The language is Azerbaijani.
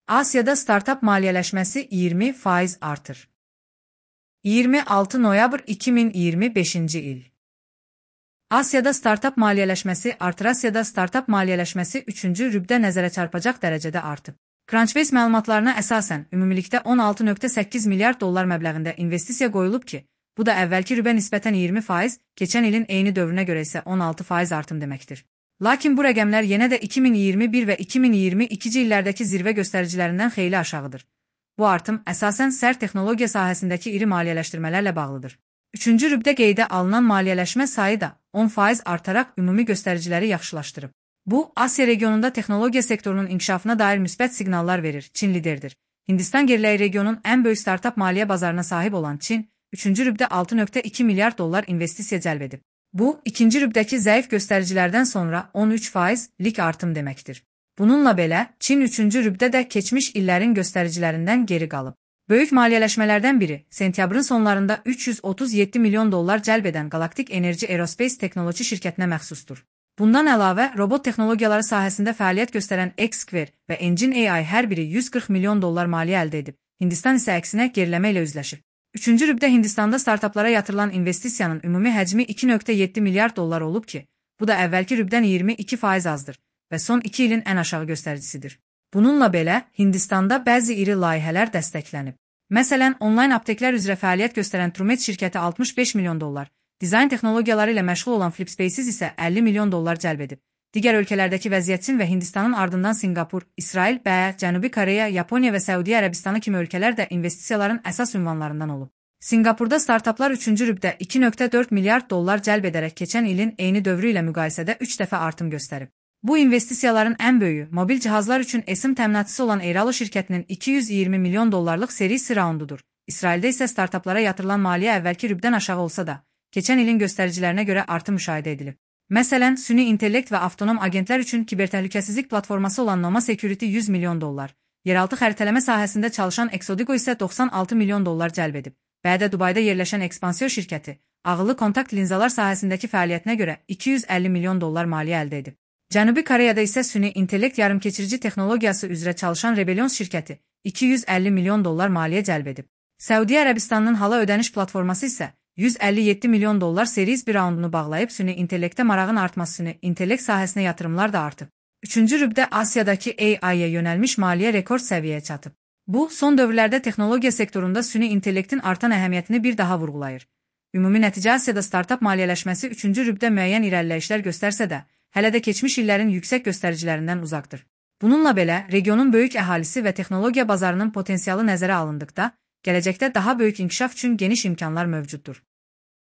Asiyada startap maliyyələşməsi 20% artır. 26 noyabr 2025-ci il. Asiyada startap maliyyələşməsi artır. Asiyada startap maliyyələşməsi 3-cü rübdə nəzərə çarpacaq dərəcədə artıb. Crunchbase məlumatlarına əsasən, ümumilikdə 16,8 milyard dollar məbləğində investisiya qoyulub ki, bu da əvvəlki rübə nisbətən 20%, keçən ilin eyni dövrünə görə isə 16% artım deməkdir. Lakin bu rəqəmlər yenə də 2021 və 2022-ci illərdəki zirvə göstəricilərindən xeyli aşağıdır. Bu artım əsasən sərt texnologiya sahəsindəki iri maliyyələşdirmələrlə bağlıdır. 3-cü rübdə qeydə alınan maliyyələşmə sayı da 10% artaraq ümumi göstəriciləri yaxşılaşdırıb. Bu, Asiya regionunda texnologiya sektorunun inkişafına dair müsbət siqnallar verir. Çin liderdir. Hindistan geriləyi regionun ən böyük startap maliyyə bazarına sahib olan Çin, 3-cü rübdə 6,2 milyard dollar investisiya cəlb edib. Bu, ikinci rübdəki zəif göstəricilərdən sonra 13%lik artım deməkdir. Bununla belə, Çin 3-cü rübdə də keçmiş illərin göstəricilərindən geri qalıb. Böyük maliyyələşmələrdən biri, sentyabrın sonlarında 337 milyon dollar cəlb edən Galactic Energy Aerospace texnoloji şirkətinə məxsusdur. Bundan əlavə, robot texnologiyaları sahəsində fəaliyyət göstərən X-Square və Engine AI hər biri 140 milyon dollar maliyyə əldə edib. Hindistan isə əksinə geriləmə ilə üzləşir. 3-cü rübdə Hindistanda startaplara yatırılan investisiyanın ümumi həcmi 2,7 milyard dollar olub ki, bu da əvvəlki rübdən 22% azdır və son 2 ilin ən aşağı göstəricisidir. Bununla belə, Hindistanda bəzi iri layihələr dəstəklənib. Məsələn, onlayn apteklər üzrə fəaliyyət göstərən Trumet şirkəti 65 milyon dollar, dizayn texnologiyaları ilə məşğul olan Flipspaces isə 50 milyon dollar cəlb edib. Digər ölkələrdəki vəziyyət Çin və Hindistanın ardından Sinqapur, İsrail, Cənubi Koreya, Yaponiya və Səudiyyə Ərəbistanı kimi ölkələr də investisiyaların əsas ünvanlarından olub. Sinqapurda startaplar 3-cü rübdə 2,4 milyard dollar cəlb edərək keçən ilin eyni dövrü ilə müqayisədə 3 dəfə artım göstərib. Bu investisiyaların ən böyüyü mobil cihazlar üçün eSIM təminatçısı olan Eiralo şirkətinin 220 milyon dollarlıq serisi raundudur. İsraildə isə startaplara yatırılan maliyyə əvvəlki rübdən aşağı olsa da, keçən ilin göstəricilərinə görə artım müşahidə edilib. Məsələn, süni intellekt və avtonom agentlər üçün kibertəhlükəsizlik platforması olan Noma Security 100 milyon dollar, yeraltı xəritələmə sahəsində çalışan Exodigo isə 96 milyon dollar cəlb edib. Bədə Dubayda yerləşən Expansio şirkəti, ağıllı kontakt linzalar sahəsindəki fəaliyyətinə görə 250 milyon dollar maliyyə əldə edib. Cənubi Koreyada isə süni intellekt yarımkeçirici texnologiyası üzrə çalışan Rebellion şirkəti 250 milyon dollar maliyyə cəlb edib. Səudiyyə Ərəbistanının hala ödəniş platforması isə 157 milyon dollar series bir raundunu bağlayıb süni intellektə marağın artması süni intellekt sahəsinə yatırımlar da artıb. 3-cü rübdə Asiyadakı AI-yə yönəlmiş maliyyə rekord səviyyəyə çatıb. Bu, son dövrlərdə texnologiya sektorunda süni intellektin artan əhəmiyyətini bir daha vurğulayır. Ümumi nəticə Asiyada startap maliyyələşməsi 3-cü rübdə müəyyən irəliləyişlər göstərsə də, hələ də keçmiş illərin yüksək göstəricilərindən uzaqdır. Bununla belə, regionun böyük əhalisi və texnologiya bazarının potensialı nəzərə alındıqda, gələcəkdə daha böyük inkişaf üçün geniş imkanlar mövcuddur.